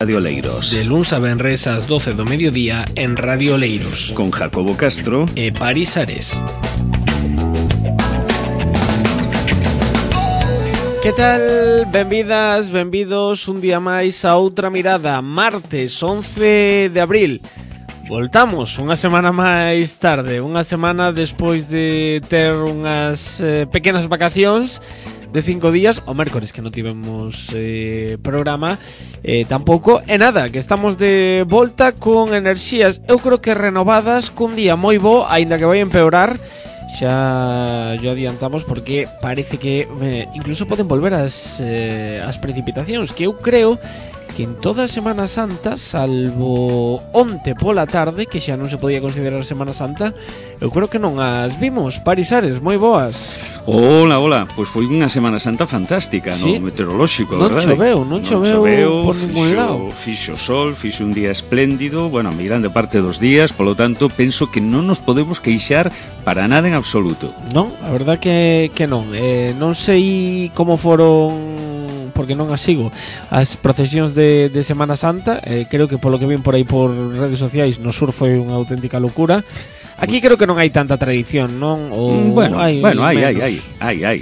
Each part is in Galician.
Radio Oleiros. De luns a venres ás 12 do mediodía en Radio Oleiros. Con Jacobo Castro e Paris Ares. Que tal? Benvidas, benvidos un día máis a outra mirada. Martes 11 de abril. Voltamos unha semana máis tarde, unha semana despois de ter unhas pequenas vacacións de 5 días, o mércores que non tivemos programa tampouco, e nada, que estamos de volta con enerxías, eu creo que renovadas, cun día moi bo, aínda que vai empeorar. Xa yo adiantamos porque parece que incluso poden volver as precipitacións, que eu creo que en toda a Semana Santa, salvo onte pola tarde, que xa non se podía considerar Semana Santa, eu creo que non as vimos. Paris Ares, moi boas. Hola, pois foi unha Semana Santa fantástica, sí, no meteorolóxico, non verdade? Non choveu por ningún lado. Fixo sol, fixo un día espléndido, bueno, a grande parte dos días, polo tanto, penso que non nos podemos queixar para nada en absoluto. Non, a verdad que non. Non sei como foron, porque non as sigo, as procesións de Semana Santa. Creo que polo que ven por aí por redes sociais no sur foi unha auténtica locura. Aquí creo que non hai tanta tradición, non? O hai.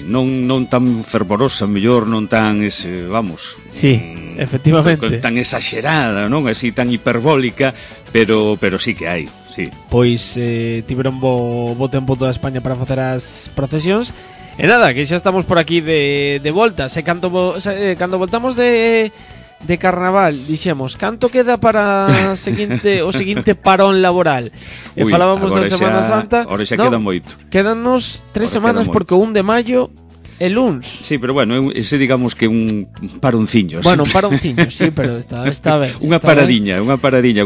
Non tan fervorosa, mellor, non tan vamos. Sí, efectivamente. Tan exagerada, non? Así tan hiperbólica, pero sí que hai, sí. Pois tiveron bo tempo toda España para facer as procesións. E nada, que xa estamos por aquí de volta. Cando voltamos de carnaval, dixemos, canto queda para o seguinte parón laboral? E falábamos da Semana Santa. Ahora xa queda moito. Quédanos 3 semanas porque o 1 de maio é luns. Sí, pero bueno, ese digamos que un paronciño. Bueno, un paronciño, sí, pero está ben. Unha paradiña,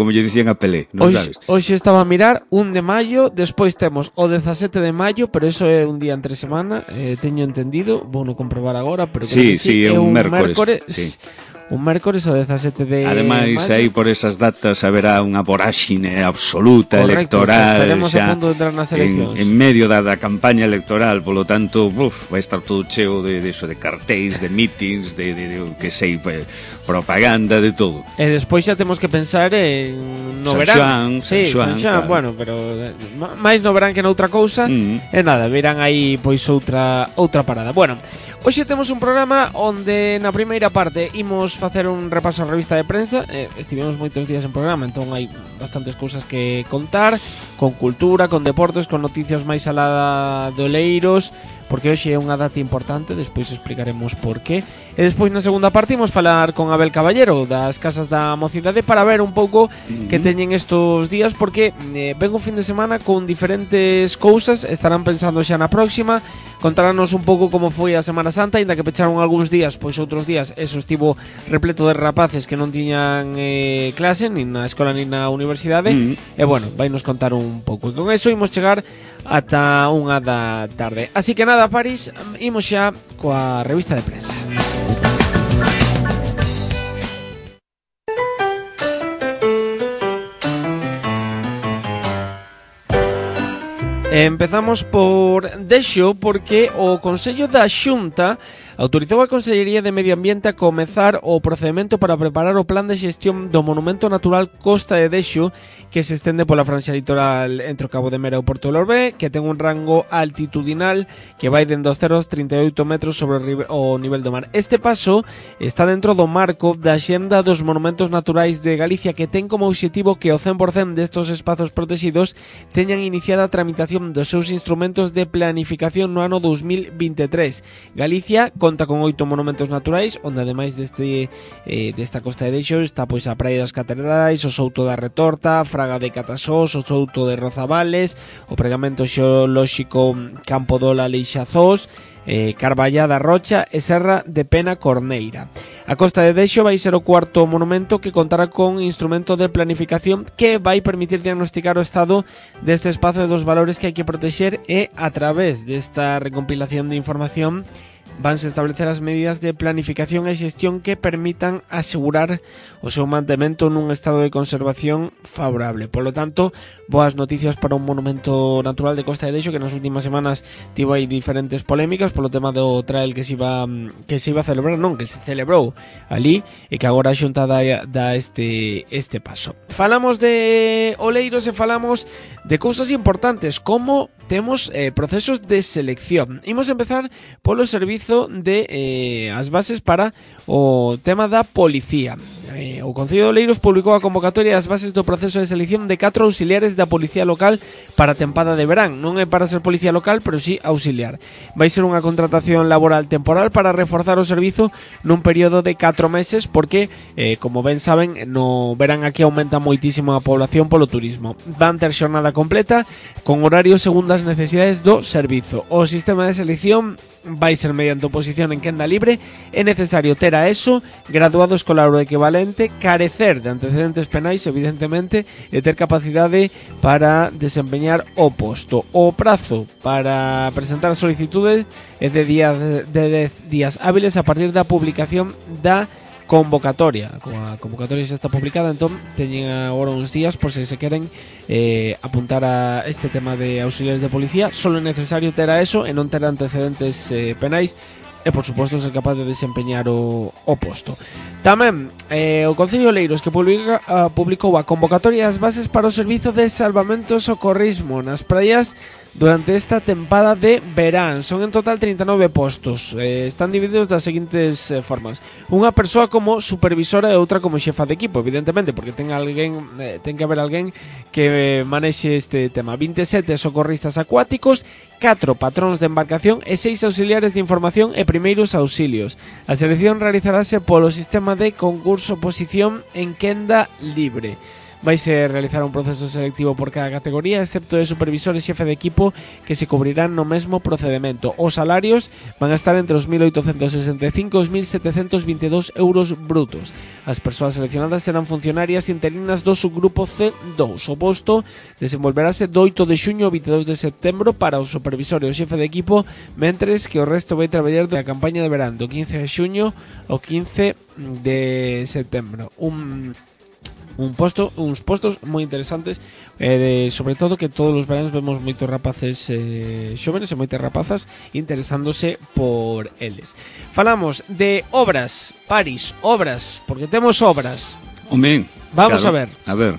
como lle dicían a Pelé, non sabes? Hoxe estaba a mirar 1 de maio, despois temos o 17 de maio, pero eso é un día entre semana, teño entendido, vou non comprobar agora, pero sí, é un mércores. Sí. Un mércores o 17 de ademais, maio. aí por esas datas haberá unha voráxine absoluta. Correcto, electoral. Estaremos a punto de entrar nas eleccións. En medio da campaña electoral, polo tanto, vai estar todo cheo de cartéis, de meetings, de que sei, propaganda, de todo. E despois xa temos que pensar en no verán. San Xoán, claro. Bueno, pero máis no verán que noutra cousa. E nada, verán aí pois outra parada. Bueno, hoxe temos un programa onde na primeira parte imos facer un repaso á revista de prensa. Estivemos moitos días en programa, entón hai bastantes cousas que contar, con cultura, con deportes, con noticias máis alá de Oleiros, porque hoxe é unha data importante, despois explicaremos por qué. E despois na segunda parte imos falar con Abel Caballero das Casas da Mocidade para ver un pouco que teñen estos días, porque ven un fin de semana con diferentes cousas, estarán pensando xa na próxima, contaránnos un pouco como foi a Semana Santa, ainda que pecharon algúns días, pois outros días eso estivo repleto de rapaces que non tiñan clase, nin na escola nin na universidade, e bueno, vai nos contar un pouco. E con eso imos chegar ata 1 da tarde. Así que nada, Paris, imos xa coa revista de prensa. Empezamos por Dexo, porque o Consello da Xunta autorizou a Consellería de Medio Ambiente a comezar o procedimento para preparar o plan de xestión do Monumento Natural Costa de Dexo, que se estende pola franxa litoral entre o Cabo de Mera e o Porto de Lorbe, que ten un rango altitudinal que vai dende os 0,38 metros sobre o nivel do mar. Este paso está dentro do marco da Xenda dos Monumentos Naturais de Galicia, que ten como obxectivo que o 100% destos espazos protegidos teñan iniciada a tramitación dos seus instrumentos de planificación no ano 2023. Galicia conta con 8 monumentos naturais, onde ademais desta Costa de Dexo está pois a Praia das Catedrais, o Souto da Retorta, Fraga de Catasós, o Souto de Rozavales, o Pregamento Xeolóxico Campo Dola Leixazós, Carballada Rocha e Serra de Pena Corneira. A Costa de Dexo vai ser o cuarto monumento que contará con instrumento de planificación que vai permitir diagnosticar o estado deste espazo e dos valores que hai que protexer, e a través desta recompilación de información vanse establecer as medidas de planificación e xestión que permitan asegurar o seu mantemento nun estado de conservación favorable. Polo tanto, boas noticias para un monumento natural de Costa de Deixo que nas últimas semanas tivo aí diferentes polémicas polo tema do trail que se iba a celebrar, non, que se celebrou ali e que agora a Xunta dá este paso. Falamos de oleiros e falamos de cousas importantes como temos procesos de selección. Imos empezar polo servizo de as bases para o tema da policía. O Concello de Oleiros publicou a convocatoria das bases do proceso de selección de 4 auxiliares da policía local para a tempada de verán. Non é para ser policía local, pero sí auxiliar. Vai ser unha contratación laboral temporal para reforzar o servizo nun período de 4 meses porque, como ben saben, no verán aquí aumenta moitísimo a población polo turismo. Van ter xornada completa con horario segundo as necesidades do servizo. O sistema de selección vai ser mediante oposición en quenda libre. É necesario ter a ESO, graduado escolar ou equivalente, carecer de antecedentes penais, evidentemente, e ter capacidade para desempeñar o posto. O prazo para presentar as solicitudes é de 10 días hábiles a partir da publicación da convocatoria. Como a convocatoria xa está publicada, entón teñen agora uns días por se queren apuntar a este tema de auxiliares de policía. Solo é necesario ter a ESO e non ter antecedentes penais e, por suposto, ser capaz de desempeñar o posto. Tamén o Concello de Oleiros que publicou a convocatoria das bases para o servizo de salvamento e socorrismo nas praias durante esta tempada de verán. Son en total 39 postos. Están divididos das seguintes formas: unha persoa como supervisora e outra como xefa de equipo, evidentemente, porque ten que haber alguén que manexe este tema. 27 socorristas acuáticos, 4 patróns de embarcación e 6 auxiliares de información e primeiros auxilios. A selección realizarase polo sistema de concurso-oposición en quenda libre. Vaise realizar un proceso selectivo por cada categoría, excepto de supervisor e xefe de equipo, que se cubrirán no mesmo procedimento. Os salarios van a estar entre os 1.865 e os 1.722 euros brutos. As persoas seleccionadas serán funcionarias interinas do subgrupo C2. O posto desenvolverase do 8 de xuño ao 22 de setembro para o supervisor e o xefe de equipo, mentres que o resto vai traballar da campaña de verán do 15 de xuño ao 15 de setembro. Uns postos moi interesantes, sobre todo que todos os veranos vemos moitos rapaces xóvenes e moitas rapazas interesándose por eles. Falamos de obras, Paris, obras, porque temos obras. Hombre, vamos claro, a ver.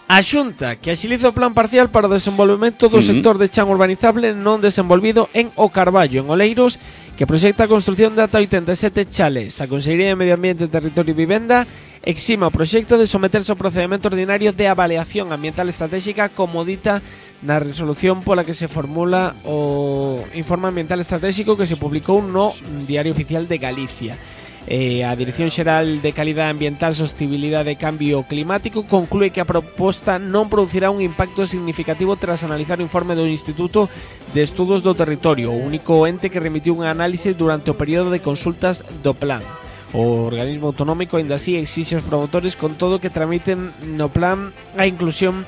A Xunta que axiliza o plan parcial para o desenvolvemento do sector de chan urbanizable non desenvolvido en O Carballo, en Oleiros, que proxecta a construción de ata 87 chales. A Consellería de Medio Ambiente, Territorio e Vivenda exima o proxecto de someterse ao procedimento ordinario de avaliación ambiental estratégica como dita na resolución pola que se formula o informe ambiental estratégico que se publicou no Diario Oficial de Galicia. A Dirección Xeral de Calidade Ambiental, Sostenibilidade e Cambio Climático conclúe que a proposta non producirá un impacto significativo tras analizar o informe do Instituto de Estudos do Territorio, o único ente que remitiu un análise durante o período de consultas do plan. O organismo autonómico ainda así exixe aos promotores con todo que tramiten no plan a inclusión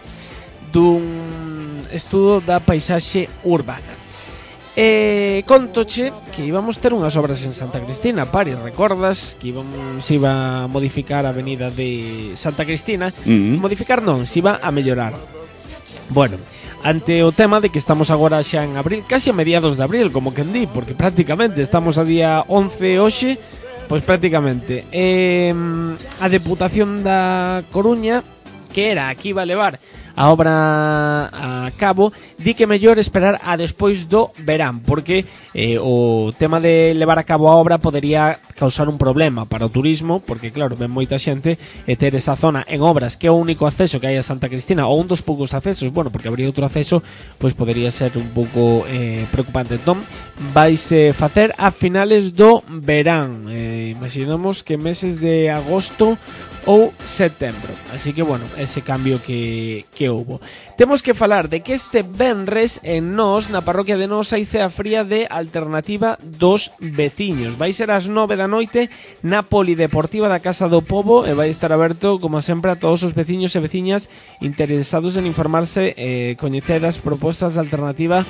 dun estudo da paisaxe urbana. Contoche que íbamos ter unhas obras en Santa Cristina, Paris, recordas que se iba a modificar a avenida de Santa Cristina. Modificar non, se iba a mellorar. Bueno, ante o tema de que estamos agora xa en abril, casi a mediados de abril, como quen di, porque prácticamente estamos a día 11 hoxe, pois prácticamente a Deputación da Coruña, que era a que iba a levar a obra a cabo, di que mellor esperar a despois do verán, porque o tema de levar a cabo a obra podería causar un problema para o turismo, porque claro, ven moita xente e ter esa zona en obras que é o único acceso que hai a Santa Cristina, ou un dos poucos accesos, bueno, porque habría outro acceso, pois podería ser un pouco preocupante. Entón, vaise facer a finales do verán, imaginamos que meses de agosto ou setembro. Así que, bueno, ese cambio que houbo. Temos que falar de que este venres en Nós, na parroquia de Nós, hai cea fría de alternativa dos veciños. Vai ser ás 9 da noite na Polideportiva da Casa do Pobo e vai estar aberto, como sempre, a todos os veciños e veciñas interesados en informarse e coñecer as propostas de alternativa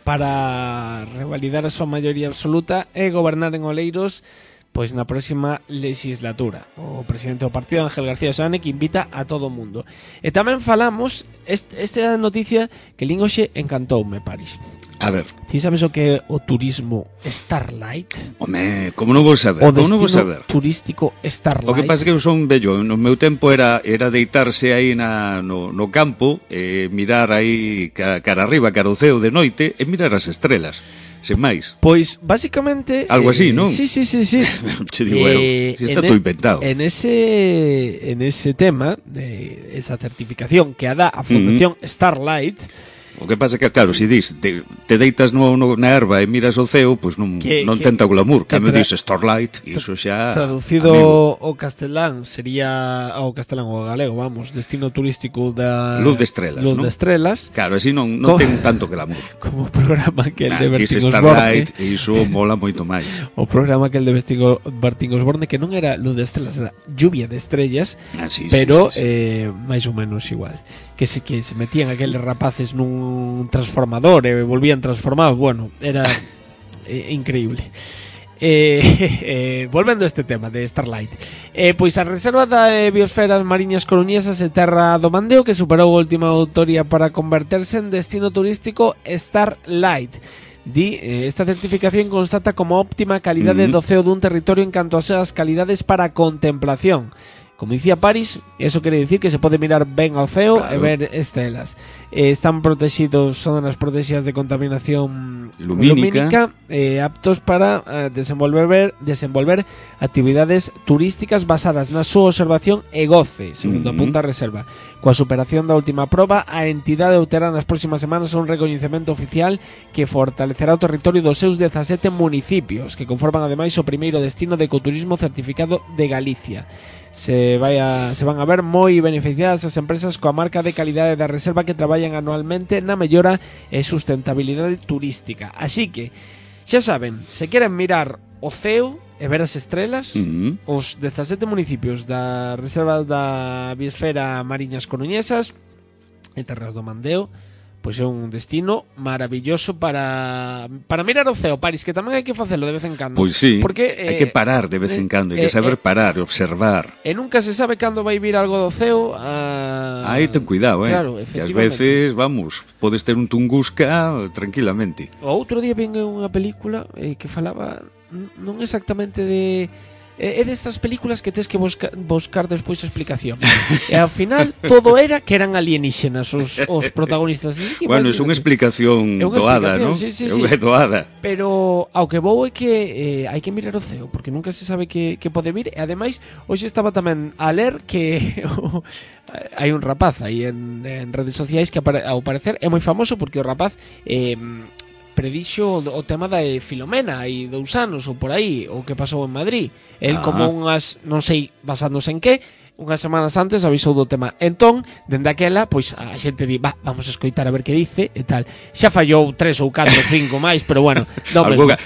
para revalidar a súa maioría absoluta e gobernar en Oleiros pois na próxima legislatura. O presidente do partido, Ángel García Soane, que invita a todo o mundo. E tamén falamos, esta noticia que lín hoxe encantoume, Paris. A ver. Ti sabes o que é o turismo Starlight? Home, como non vou saber? O Como non vou destino saber? turístico Starlight. O que pasa é que eu son vello. No meu tempo era deitarse aí no campo, mirar aí cara arriba, cara ao ceo de noite, e mirar as estrelas. Sen máis. Pois, basicamente... Algo así, non? Sí. Che digo eu, si está todo inventado. En ese tema, de esa certificación que dá a Fundación Starlight... O que pasa é que, claro, se dis te deitas na erva e miras o ceo, pois non tenta o glamour. Cando dis Starlight, iso xa... Traducido ao castelán sería ao castelán ou ao galego, vamos, destino turístico da... Luz de estrelas, Luz non? de estrelas. Claro, así non ten tanto glamour. Como o programa que el de Bertín Starlight, Osborne. iso mola moito máis. O programa que el de Bertín Osborne, que non era Luz de estrelas, era Lluvia de estrellas, pero máis ou menos igual. Que se metían aqueles rapaces nun transformador e volvían transformados. Bueno, era increíble. Volvendo a este tema de Starlight, pois a reserva da biosfera Mariñas Coruñesas e Terra do Mandeo, que superou a última autoría para converterse en destino turístico Starlight. Esta certificación constata como óptima calidade do ceo dun territorio en canto ás súas calidades para contemplación. Como dicía Paris, eso quere dicir que se pode mirar ben ao ceo, claro, e ver estrelas. Están protegidos, son zonas protegidas de contaminación lumínica, aptos para desenvolver actividades turísticas basadas na súa observación e goce, segundo apunta a reserva. Coa superación da última proba, a entidade obterá nas próximas semanas un recoñecemento oficial que fortalecerá o territorio dos seus 17 municipios, que conforman ademais o primeiro destino de ecoturismo certificado de Galicia. Se van a ver moi beneficiadas as empresas coa marca de calidade da reserva que traballan anualmente na mellora e sustentabilidade turística. Así que, xa saben, se queren mirar o ceo e ver as estrelas, os 17 municipios da reserva da biosfera Mariñas Coruñesas e Terras do Mandeo, pois é un destino maravilloso para mirar o ceo, Paris, que tamén hai que facelo de vez en cando. Pois sí, porque, hai que parar de vez en cando, hai que saber parar, observar. E nunca se sabe cando vai vir algo do ceo. Aí ten cuidado, claro, que ás veces, vamos, podes ter un Tunguska tranquilamente. O outro día vin unha película que falaba non exactamente de... É destas películas que tes que buscar despois explicación. E ao final todo era que eran alienígenas os protagonistas. Bueno, é unha explicación doada, non? Sí. É doada. Pero ao que vou é que hai que mirar o ceo, porque nunca se sabe que pode vir. E ademais, hoxe estaba tamén a ler que hai un rapaz aí en redes sociais que ao parecer é moi famoso, porque o rapaz predixo o tema da Filomena hai 2 anos ou por aí, o que pasou en Madrid. El como unhas, non sei basándose en que, unhas semanas antes avisou do tema. Entón, dende aquela, pois a xente di, vamos a escoitar a ver que dice e tal. Xa fallou 3 ou 4 ou 5 máis, pero bueno,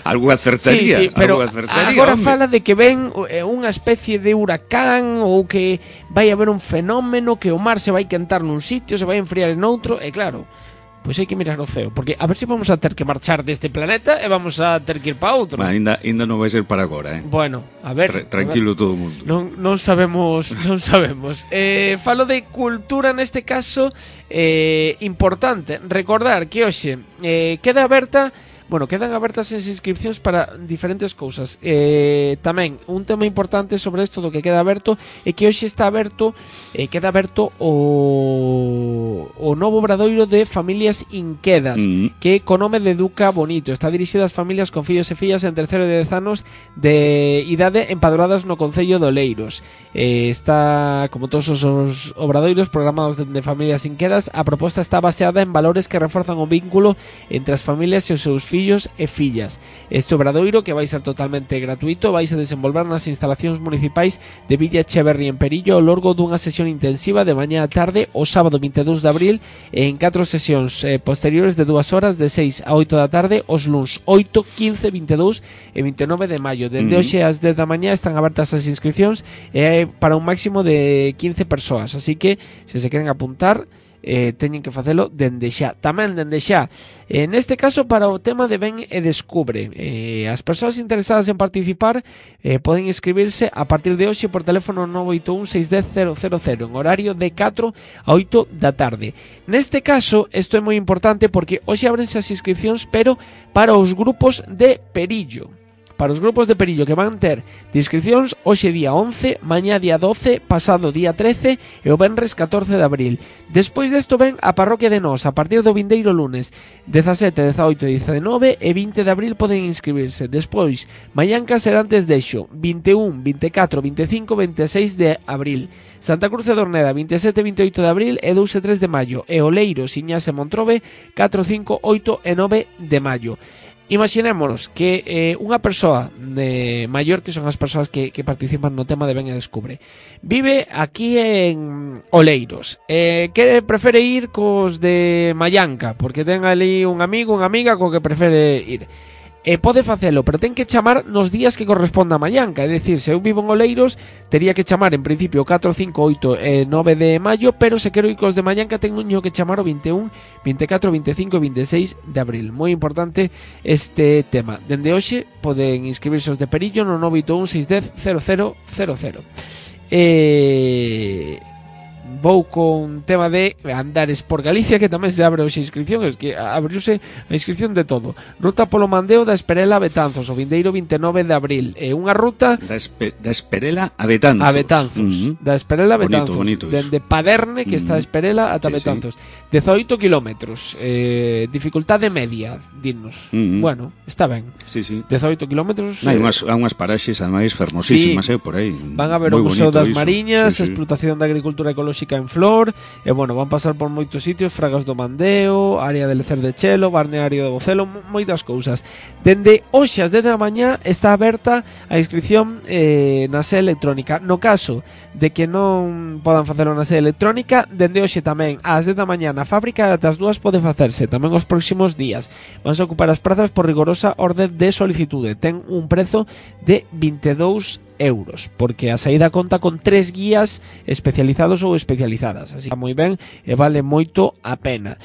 algo acertaría. Sí, pero agora fala de que ven unha especie de huracán ou que vai haber un fenómeno, que o mar se vai quentar nun sitio, se vai enfriar en outro, e claro, pois hai que mirar o ceo, porque a ver se vamos a ter que marchar deste planeta e vamos a ter que ir para outro. Ainda non vai ser para agora, Bueno, a ver, tranquilo todo o mundo. Non sabemos. Falo de cultura neste caso, importante recordar que hoxe quedan abertas as inscripcións para diferentes cousas. Tamén un tema importante sobre isto do que queda aberto é que hoxe queda aberto o novo obradoiro de familias inquedas, que co nome de Educa Bonito está dirixido ás familias con fillos e fillas entre 0 e 10 anos de idade empadroadas no concello de Oleiros. Está, como todos os obradoiros programados de familias inquedas, a proposta está baseada en valores que reforzan o vínculo entre as familias e os seus fillos e fillas. Este obradoiro, que vai ser totalmente gratuito, vai se desenvolver nas instalacións municipais de Villa Echeverri en Perillo ao longo dunha sesión intensiva de mañá a tarde o sábado 22 de abril e en 4 sesións posteriores de 2 horas de 6 a 8 da tarde os luns 8, 15, 22 e 29 de maio. Dende hoxe ás 10 da mañá están abertas as inscripcións para un máximo de 15 persoas, así que se queren apuntar, teñen que facelo dende xa. Tamén dende xa, neste caso para o tema de Ven e Descubre, as persoas interesadas en participar poden inscribirse a partir de hoxe por teléfono 981-610-000 en horario de 4 a 8 da tarde. Neste caso, isto é moi importante porque hoxe abrense as inscripcións, pero para os grupos de Perillo. Para os grupos de Perillo que van ter de inscripcións hoxe día 11, mañá día 12, pasado día 13 e o venres 14 de abril. Despois desto ven a parroquia de Nós a partir do vindeiro lunes 17, 18, 19 e 20 de abril poden inscribirse. Despois, Maianca será antes dexo 21, 24, 25, 26 de abril. Santa Cruz de Dorneda 27, 28 de abril e 2 e 3 de maio. E Oleiro, Siñas e Montrobe 4, 5, 8 e 9 de maio. Imaginémonos que unha persoa maior, que son as persoas que participan no tema de Ven e Descubre, vive aquí en Oleiros, que prefere ir cos de Maianca porque ten ali un amigo, unha amiga co que prefere ir. Pode facelo, pero ten que chamar nos días que corresponda a Maianca. É dicir, se eu vivo en Oleiros, tería que chamar en principio 4, 5, 8 e 9 de maio, pero se quero ir cos de Maianca teño que chamar o 21, 24, 25 e 26 de abril. Moi importante este tema. Dende hoxe poden inscribirse os de Perillo no 981 610 0000. Vou con tema de Andares por Galicia, que tamén se abre hoxe a inscripción. Es que abriuse a inscripción de todo. Ruta polo Mandeo da Esperela a Betanzos o vindeiro 29 de abril. Unha ruta da Esperela a Betanzos. A Betanzos. Da Esperela a Betanzos. Bonito Dende Paderne, que está a Esperela, ata Betanzos. 18 kilómetros. Dificultade media, dinos. Bueno, está ben. 18 kilómetros. Hai unhas paraxes ademais fermosísimas, por aí. Van a ver o Museo das Mariñas, explotación da agricultura ecolóxica en flor, e bueno, van pasar por moitos sitios, Fragas do Mandeo, área de Lecer de Chelo, Barneario de Bocelo, moitas cousas. Dende hoxe ás 10 da mañá está aberta a inscripción na sede electrónica. No caso de que non podan facelo na sede electrónica, dende hoxe tamén ás 10 da mañá na fábrica ata as 2 pode facerse, tamén os próximos días. Vanse ocupar as prazas por rigorosa orde de solicitude. Ten un prezo de 22 euros, porque a saída conta con 3 guías especializados ou especializadas, así que moi ben e vale moito a pena.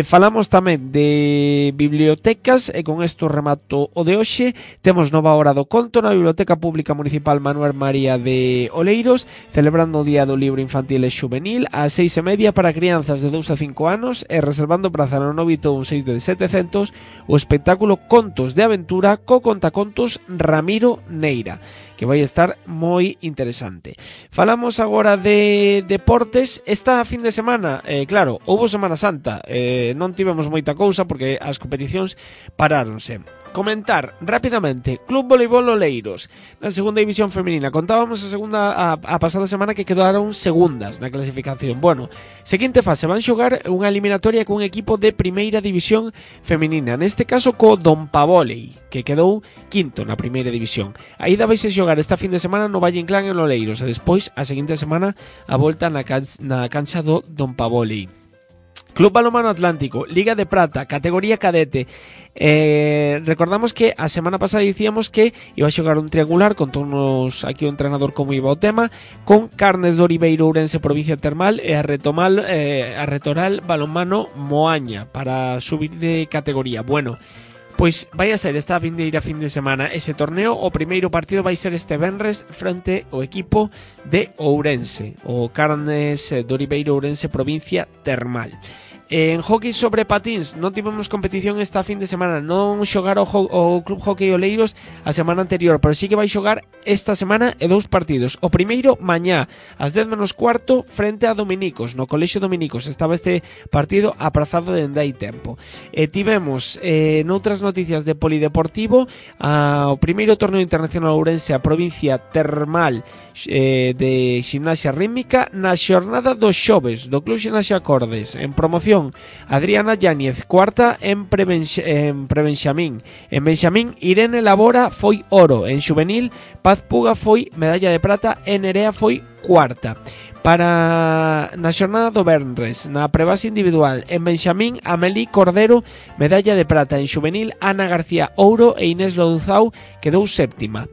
Falamos tamén de bibliotecas e con isto remato o de hoxe. Temos nova hora do conto na Biblioteca Pública Municipal Manuel María de Oleiros, celebrando o Día do Libro Infantil e Xuvenil ás 6:30 para crianzas de 2 a 5 anos e reservando praza no 981 6 de 700 o espectáculo Contos de Aventura co contacontos Ramiro Neira, que vai estar moi interesante. Falamos agora de deportes. Esta fin de semana, claro, houbo Semana Santa, non tivemos moita cousa porque as competicións paráronse. Comentar rapidamente Club Voleibol Oleiros na segunda división femenina. Contábamos a pasada semana que quedaron segundas na clasificación. Bueno, seguinte fase, van xogar unha eliminatoria cun equipo de primeira división femenina, neste caso co Don Pavolei, que quedou quinto na primeira división. A ida vais a xogar esta fin de semana no Valle Inclán en Oleiros e despois a seguinte semana a volta na cancha do Don Pavolei. Club Balonmano Atlántico, Liga de Prata, categoría cadete. Recordamos que a semana pasada dicíamos que iba a xogar un triangular, contónos aquí o entrenador como iba o tema, con Carnes de Oribeiro, Ourense, provincia termal, e a Retoral Balonmano Moaña para subir de categoría. Bueno, pois vai a ser esta vindeira fin de semana ese torneo. O primeiro partido vai ser este venres fronte ao equipo de Ourense, o Carnes de Oribeiro, Ourense, provincia termal. En hockey sobre patins non tivemos competición esta fin de semana. Non xogar o Club Hockey Oleiros a semana anterior, pero sí que vai xogar esta semana e 2 partidos. O primeiro mañá ás 10 menos cuarto frente a Dominicos, no Colexio Dominicos. Estaba este partido aprazado dende hai tempo. Tivemos noutras noticias de polideportivo o primeiro torneo internacional Ourense, a provincia termal de ximnasia rítmica, na xornada dos xoves do Club Ximnasia Acordes. En promoción, Adriana Yáñez, cuarta en prebenxamín. En benxamín, Irene Labora foi oro. En xuvenil, Paz Puga foi medalla de prata e Nerea foi cuarta. Na xornada do venres, na prebase individual, en Benxamín, Amelí Cordero, medalla de prata. En xuvenil, Ana García Ouro e Inés Louzao quedou séptima.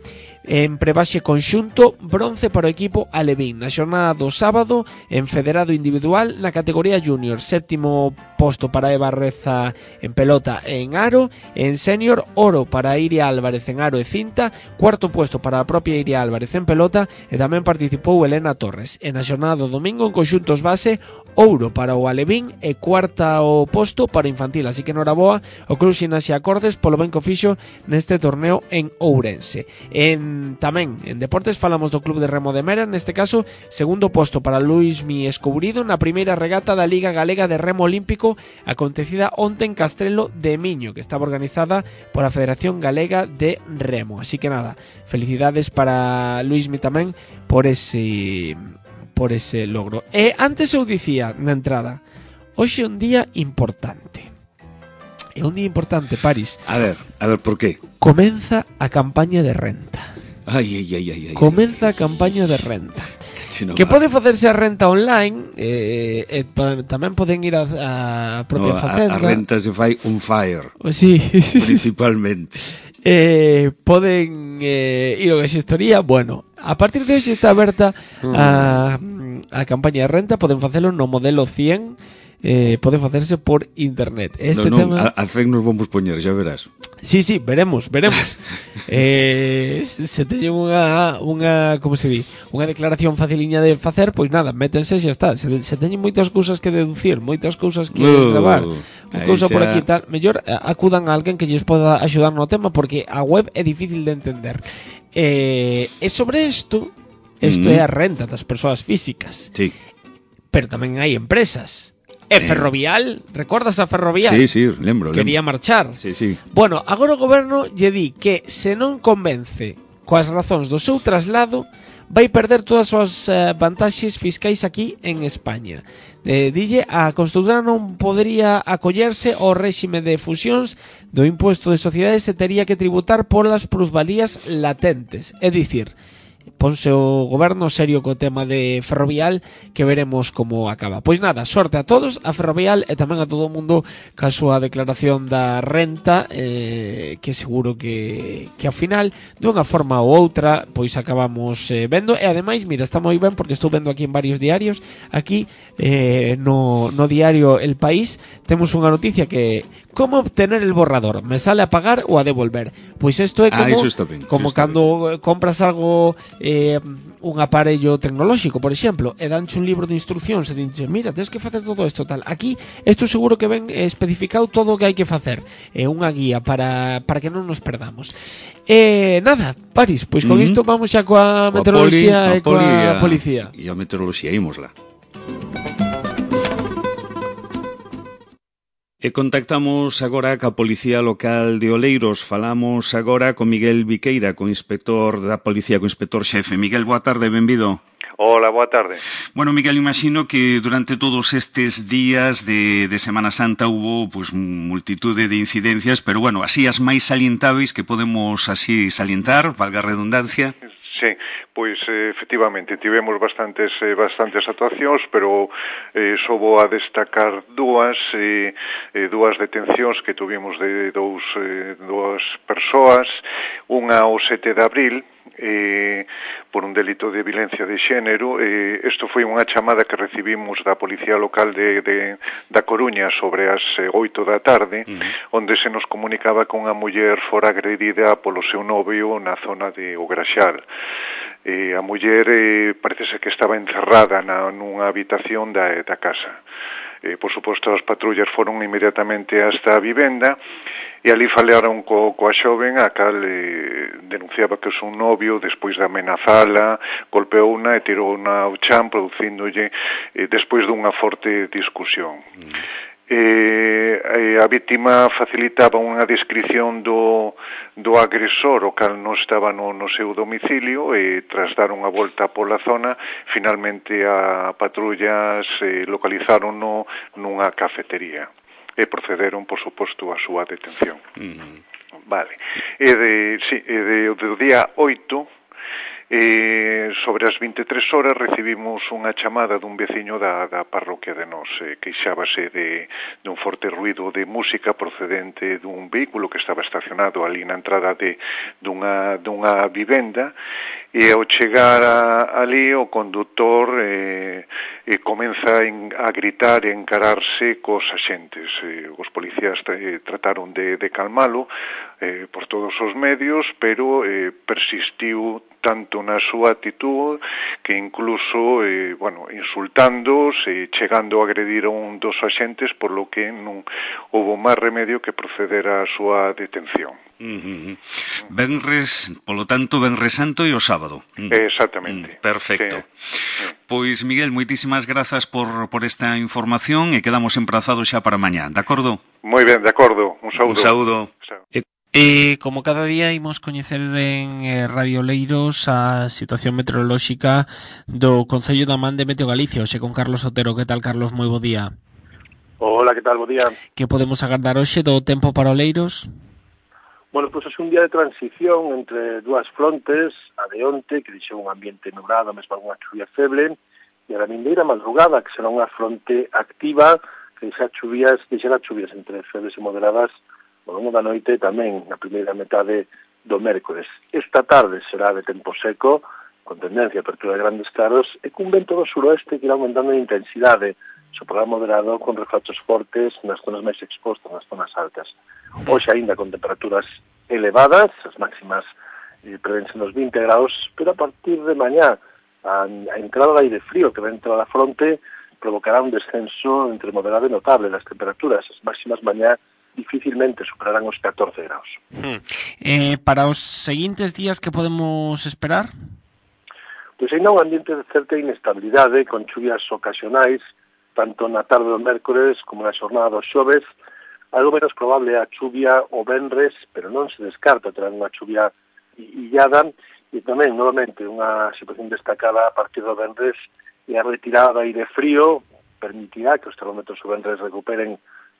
En prebase conxunto, bronce para o equipo alevín. Na xornada do sábado, en federado individual, na categoría júnior, séptimo posto para Eva Reza en pelota e en aro. En senior, oro para Iria Álvarez en aro e cinta, cuarto puesto para a propia Iria Álvarez en pelota, e tamén participou Elena Torres. E na xornada do domingo, en conxuntos base, ouro para o alevín e cuarta o posto para infantil. Así que noraboa o Club Ximnasia Acordes polo ben que o fixo neste torneo en Ourense. Tamén en deportes falamos do Club de Remo de Mera, neste caso segundo posto para Luismi Escourido na primeira regata da Liga Galega de Remo Olímpico acontecida onte en Castrelo de Miño, que estaba organizada por a Federación Galega de Remo. Así que nada, felicidades para Luismi tamén por ese logro. E antes eu dicía na entrada, hoxe é un día importante. É un día importante, Paris. A ver, por qué? Comeza a campaña de renta. Ai. Comeza a campaña de renta. Que pode facerse a renta online, tamén poden ir a propia facenda. A renta se fai on fire. Sí. Principalmente. Poden ir a gestoría. Bueno, a partir de hoxe está aberta a campaña de renta. Poden facelo no modelo 100. Pode facerse por internet. Tema... a FEC nos vamos poñer, xa verás. Sí, veremos. Se teñen unha como se di, unha declaración faciliña de facer, pois nada, métense e xa está. Se teñen moitas cousas que deducir, moitas cousas que gravar, unha cousa por aquí e tal, mellor acudan a alguén que lles poda axudar no tema, porque a web é difícil de entender. E sobre isto é a renta das persoas físicas. Sí. Pero tamén hai empresas. E Ferrovial, recordas a Ferrovial? Sí, lembro. Quería marchar. Sí. Bueno, agora o goberno lle di que se non convence coas razóns do seu traslado, vai perder todas as súas vantaxes fiscais aquí en España. Dille, a construtora non podería acollerse ao réxime de fusións do impuesto de sociedades e tería que tributar polas plusvalías latentes. É dicir, ponse o goberno serio co tema de Ferrovial, que veremos como acaba. Pois nada, sorte a todos, a Ferrovial e tamén a todo o mundo ca súa declaración da renta, que seguro que ao final, dunha forma ou outra, pois acabamos vendo. E ademais, mira, está moi ben porque estou vendo aquí en varios diarios. Aquí no diario El País temos unha noticia que como obtener el borrador, me sale a pagar ou a devolver. Pois isto é como cando compras algo, un aparello tecnolóxico, por exemplo, e danche un libro de instruccións e dinche, mira, tens que facer todo isto tal. Aquí, isto seguro que ven especificado todo o que hai que facer. É unha guía para que non nos perdamos. Nada, Paris, pois con isto vamos xa coa meteoroloxía e coa policía. E a meteoroloxía, ímosla. E contactamos agora ca Policía Local de Oleiros. Falamos agora con Miguel Viqueira, co inspector da Policía, co inspector xefe. Miguel, boa tarde, benvido. Hola, boa tarde. Bueno, Miguel, imagino que durante todos estes días de Semana Santa hubo pues multitude de incidencias, pero bueno, así as máis salientáveis que podemos así salientar, valga a redundancia. Sí, pois efectivamente tivemos bastantes actuacións, pero só vou a destacar dúas detencións que tuvimos de dúas persoas, unha o 7 de abril, por un delito de violencia de xénero. Isto foi unha chamada que recibimos da Policía Local da Coruña sobre as 8 da tarde, onde se nos comunicaba que unha muller fora agredida polo seu novio na zona de O Graxal. A muller parece ser que estaba encerrada nunha habitación da casa. Por suposto, as patrullas foron inmediatamente hasta a vivenda e ali falaron coa xoven, a cal denunciaba que o seu novio, despois de amenazala, golpeouna e tirouna ao chan, producíndolle despois dunha forte discusión. A vítima facilitaba unha descripción do agresor, o cal non estaba no seu domicilio, e tras dar unha volta pola zona, finalmente a patrullas localizárono nunha cafetería e procederon, por suposto, a súa detención. Vale. Do día 8 Sobre as 23 horas recibimos unha chamada dun veciño da parroquia de Nos, queixábase dun forte ruido de música procedente dun vehículo que estaba estacionado ali na entrada dunha vivenda, e ao chegar ali o condutor comeza a gritar e encararse cos axentes. Os policías trataron de calmalo por todos os medios, pero persistiu tanto na súa actitud que incluso, insultándoos e chegando a agredir a un dos axentes, por lo que non houbo máis remedio que proceder á súa detención. Venres, polo tanto, Venres Santo e o sábado. Exactamente. Perfecto. Pois, Miguel, moitísimas grazas por esta información e quedamos emprazados xa para mañá, de acordo? Moi ben, de acordo. Un saúdo. Un saúdo. Como cada día imos coñecer en Radio Oleiros a situación meteorolóxica do Concello da Man de Meteo Galicia, hoxe con Carlos Otero. Que tal, Carlos? Moi bo día. Hola, que tal? Bo día. Que podemos agardar hoxe do tempo para Oleiros? Bueno, pois é un día de transición entre dúas frontes, a de onte, que deixou un ambiente nublado, mesmo unha chuvia feble, e a da vindeira madrugada, que será unha fronte activa, que deixará chuvias entre febles e moderadas ao longo da noite tamén na primeira metade do mércores. Esta tarde será de tempo seco, con tendencia a apertura de grandes claros, e cun vento do suroeste que irá aumentando en intensidade, soprará moderado con refachos fortes nas zonas máis expostas, nas zonas altas. Hoxe aínda con temperaturas elevadas, as máximas prevense nos 20 graus, pero a partir de mañá a entrada de aire frío que va a entrar a fronte provocará un descenso entre moderado e notable das temperaturas. As máximas mañá dificilmente superarán os 14 graus. Para os seguintes días, que podemos esperar? Pois ainda un ambiente de certa inestabilidade, con chuvias ocasionais, tanto na tarde do mércores como na xornada do xoves. Algo menos probable a chuvia o venres, pero non se descarta ter unha chuvia illada, e tamén, novamente, unha situación destacada a partir do venres e a retirada de aire frío permitirá que os termómetros o venres recuperen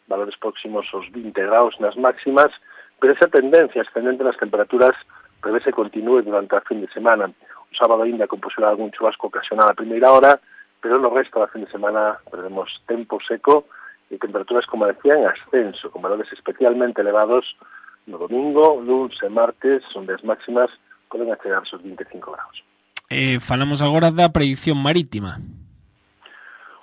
valores próximos aos 20 graus nas máximas, pero esa tendencia ascendente nas temperaturas prevese continúe durante a fin de semana. O sábado ainda con posibilidade de algún chubasco ocasional a primeira hora, pero no resto da fin de semana prevemos tempo seco e temperaturas, como decía, en ascenso, con valores especialmente elevados no domingo, lunes e martes, onde as máximas poden chegar aos 25 graus. Falamos agora da predicción marítima.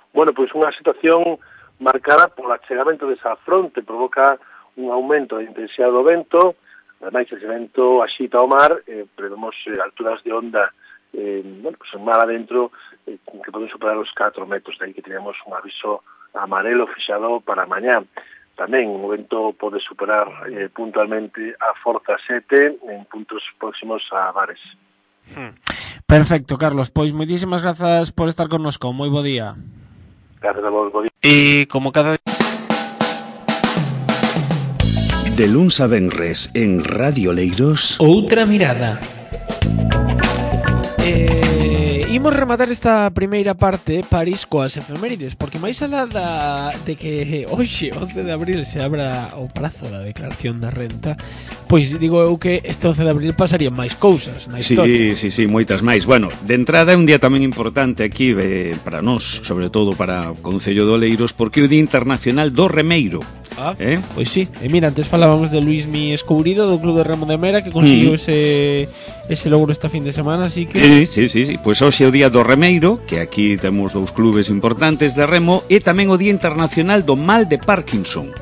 Bueno, pois unha situación marcada polo achegamento desa fronte, provoca un aumento da intensidade do vento, ademais ese vento axita o mar, prevemos alturas de onda en mar adentro que poden superar os 4 metros, de aí que tenemos un aviso amarelo fixado para mañá. Tamén o vento pode superar puntualmente a forza 7 en puntos próximos a Bares. Perfecto, Carlos, pois moitísimas grazas por estar connosco, moi bo día. Gracias a vos, bo día. E como cada de luns a venres en Radio Oleiros, outra mirada. Imos rematar esta primeira parte, París, coas efemérides, porque máis alá de que hoxe, 11 de abril, se abra o prazo da declaración da renta, pois digo eu que este 11 de abril pasarían máis cousas na historia. Sí, moitas máis. Bueno, de entrada é un día tamén importante aquí para nós, sobre todo para o Concello de Oleiros, porque é o Día Internacional do Remeiro. Pois sí, e mira, antes falábamos de Luismi Escourido do Club de Remo de Mera, que conseguiu ese logro esta fin de semana, así que... Sí, pois hoxe é o Día do Remeiro, que aquí temos dous clubes importantes de remo, e tamén o Día Internacional do Mal de Parkinson.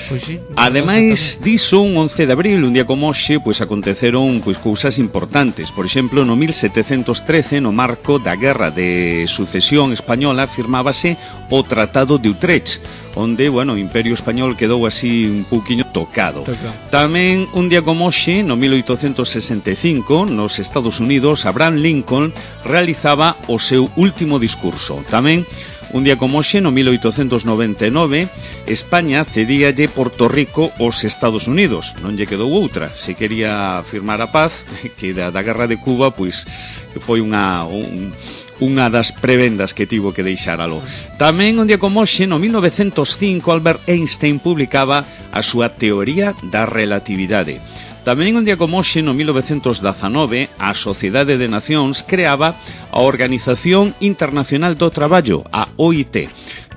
Pois sí. Ademais diso, un 11 de abril, un día como hoxe, pois aconteceron cousas importantes. Por exemplo, no 1713, no marco da Guerra de Sucesión Española, firmábase o Tratado de Utrecht, onde, o Imperio Español quedou así un pouquiño tocado. Tamén, un día como hoxe, no 1865, nos Estados Unidos, Abraham Lincoln realizaba o seu último discurso. Tamén, un día como hoxe, no 1899, España cedíalle Porto Rico aos Estados Unidos. Non lle quedou outra. Se quería firmar a paz, que da Guerra de Cuba, pois foi unha das prebendas que tivo que deixáralo. Tamén, un día como hoxe, no 1905, Albert Einstein publicaba a súa teoría da relatividade. Tamén un día como hoxe, no 1919, a Sociedade de Nacións creaba a Organización Internacional do Traballo, a OIT.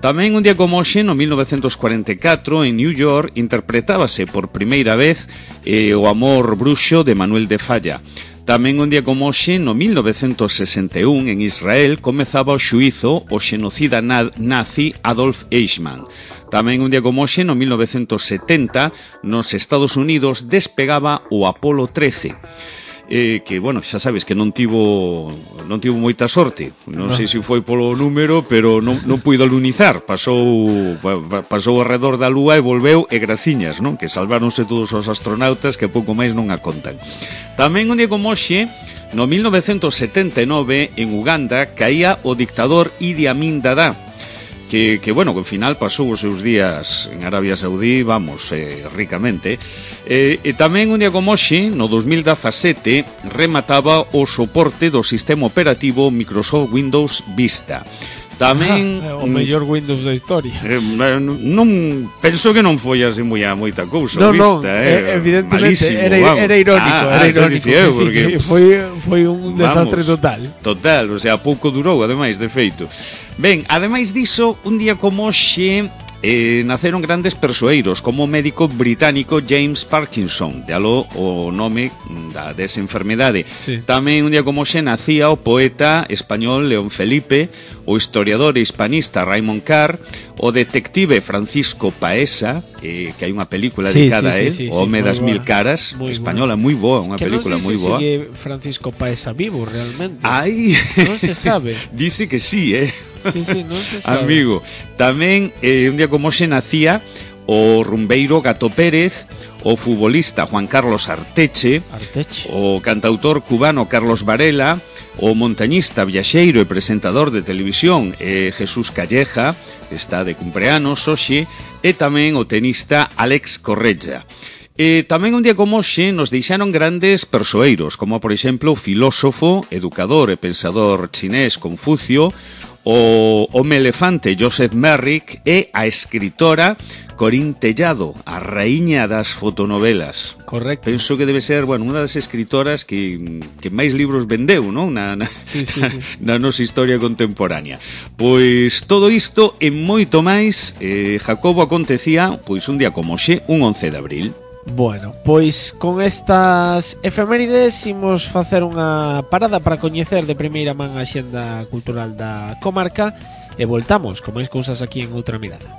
Tamén un día como hoxe, no 1944, en New York, interpretábase por primeira vez O amor bruxo de Manuel de Falla. Tamén un día como hoxe, no 1961, en Israel, comezaba o xuízo o xenocida nazi Adolf Eichmann. Tamén un día como hoxe, no 1970, nos Estados Unidos despegaba o Apolo 13. Que, bueno, xa sabes que non tivo moita sorte. Non sei se foi polo número, pero non puido alunizar. Pasou ao redor da Lúa e volveu e graciñas, non? Que salváronse todos os astronautas que pouco máis non a contan. Tamén un día como hoxe, no 1979, en Uganda, caía o dictador Idi Amin Dada, que bueno, que ao final pasou os seus días en Arabia Saudí, vamos, ricamente. E tamén un día como hoxe, no 2017, remataba o soporte do sistema operativo Microsoft Windows Vista. Tamén o mellor Windows da historia. Non penso que non foi así moita cousa, Vista, evidentemente malísimo, era irónico, porque foi un desastre total, o sea, pouco durou, ademais, de feito. Ben, ademais diso, un día como hoxe naceron grandes persoeiros, como o médico británico James Parkinson, de aló o nome desa enfermedade. Sí. Tamén un día como hoxe nacía o poeta español León Felipe, o historiador e hispanista Raymond Carr, o detective Francisco Paesa, que hai unha película dedicada a él, O home das mil caras, española, moi boa, unha película moi boa. Que non sei se sigue Francisco Paesa vivo realmente. Ai, non se sabe. Dice que sí, Sí, non se sabe. Amigo, tamén un día como hoxe nacía o rumbeiro Gato Pérez, o futbolista Juan Carlos Arteche, o cantautor cubano Carlos Varela, o montañista, viaxeiro e presentador de televisión Jesús Calleja, que está de cumpleanos hoxe, e tamén o tenista Alex Correia. Tamén un día como hoxe nos deixaron grandes persoeiros, como por exemplo o filósofo, educador e pensador chinés Confucio, o home elefante Joseph Merrick e a escritora Corín Tellado, a raíña das fotonovelas. Correcto. Penso que debe ser, bueno, unha das escritoras que máis libros vendeu, non? Sí. Na nosa historia contemporánea. Pois todo isto e moito máis, Jacobo, acontecía pois un día como hoxe, un 11 de abril. Bueno, pois con estas efemérides imos facer unha parada para coñecer de primeira man a xenda cultural da comarca e voltamos con máis cousas aquí en Outra Mirada.